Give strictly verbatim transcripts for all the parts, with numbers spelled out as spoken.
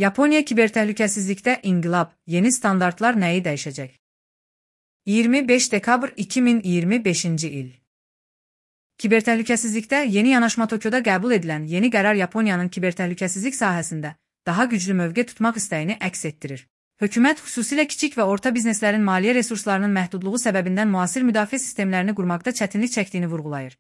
Yaponiya kibertəhlükəsizlikdə inqilab, yeni standartlar nəyi dəyişəcək? iyirmi beş dekabr iki min iyirmi beşinci il. Kibertəhlükəsizlikdə yeni yanaşma Tokyoda qəbul edilən yeni qərar Yaponiyanın kibertəhlükəsizlik sahəsində daha güclü mövqe tutmaq istəyini əks etdirir. Hökumət xüsusilə kiçik və orta bizneslərin maliyyə resurslarının məhdudluğu səbəbindən müasir müdafiə sistemlərini qurmaqda çətinlik çəkdiyini vurğulayır.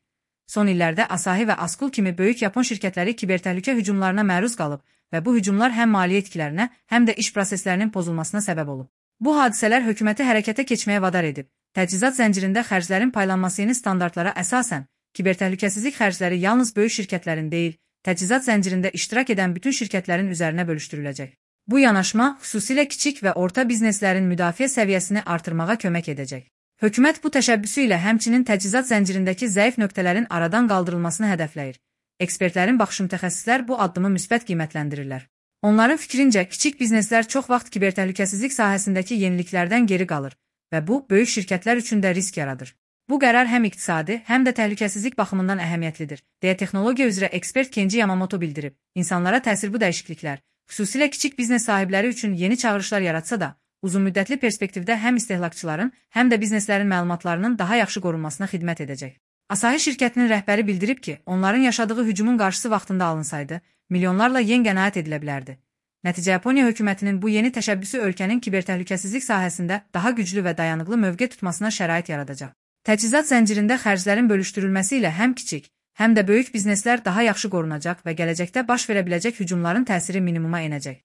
Son illərdə Asahi və Askul kimi böyük Yapon şirkətləri kibertəhlükə hücumlarına məruz qalıb və bu hücumlar həm maliyyə itkilərinə, həm də iş proseslərinin pozulmasına səbəb olub. Bu hadisələr hökuməti hərəkətə keçməyə vadar edib. Təchizat zəncirində xərclərin paylanması yeni standartlara əsasən, kibertəhlükəsizlik xərcləri yalnız böyük şirkətlərin deyil, təchizat zəncirində iştirak edən bütün şirkətlərin üzərinə bölüşdürüləcək. Bu yanaşma xüsusilə kiçik və orta bizneslərin müdafiə səviyyəsini artırmağa kömək edəcək. Hökumət bu təşəbbüsü ilə həmçinin təchizat zəncirindəki zəif nöqtələrin aradan qaldırılmasını hədəfləyir. Ekspertlərin baxışı mütəxəssislər bu addımı müsbət qiymətləndirirlər. Onların fikrincə, kiçik bizneslər çox vaxt kibertəhlükəsizlik sahəsindəki yeniliklərdən geri qalır və bu, böyük şirkətlər üçün də risk yaradır. Bu qərar həm iqtisadi, həm də təhlükəsizlik baxımından əhəmiyyətlidir, deyə texnologiya üzrə ekspert Kenji Yamamoto bildirib. İnsanlara təsir bu dəyişikliklər, xüsusilə kiçik biznes sahibləri üçün yeni çağırışlar yaratsa da, uzunmüddətli perspektivdə həm istehlakçıların, həm də bizneslərin məlumatlarının daha yaxşı qorunmasına xidmət edəcək. Asahi şirkətinin rəhbəri bildirib ki, onların yaşadığı hücumun qarşısı vaxtında alınsaydı, milyonlarla yen qənaət edilə bilərdi. Nəticə Yaponiya hökumətinin bu yeni təşəbbüsü ölkənin kibertəhlükəsizlik sahəsində daha güclü və dayanıqlı mövqe tutmasına şərait yaradacaq. Təchizat zəncirində xərclərin bölüşdürülməsi ilə həm kiçik, həm də böyük bizneslər daha yaxşı qorunacaq və gələcəkdə baş verə biləcək hücumların təsiri minimuma enəcək.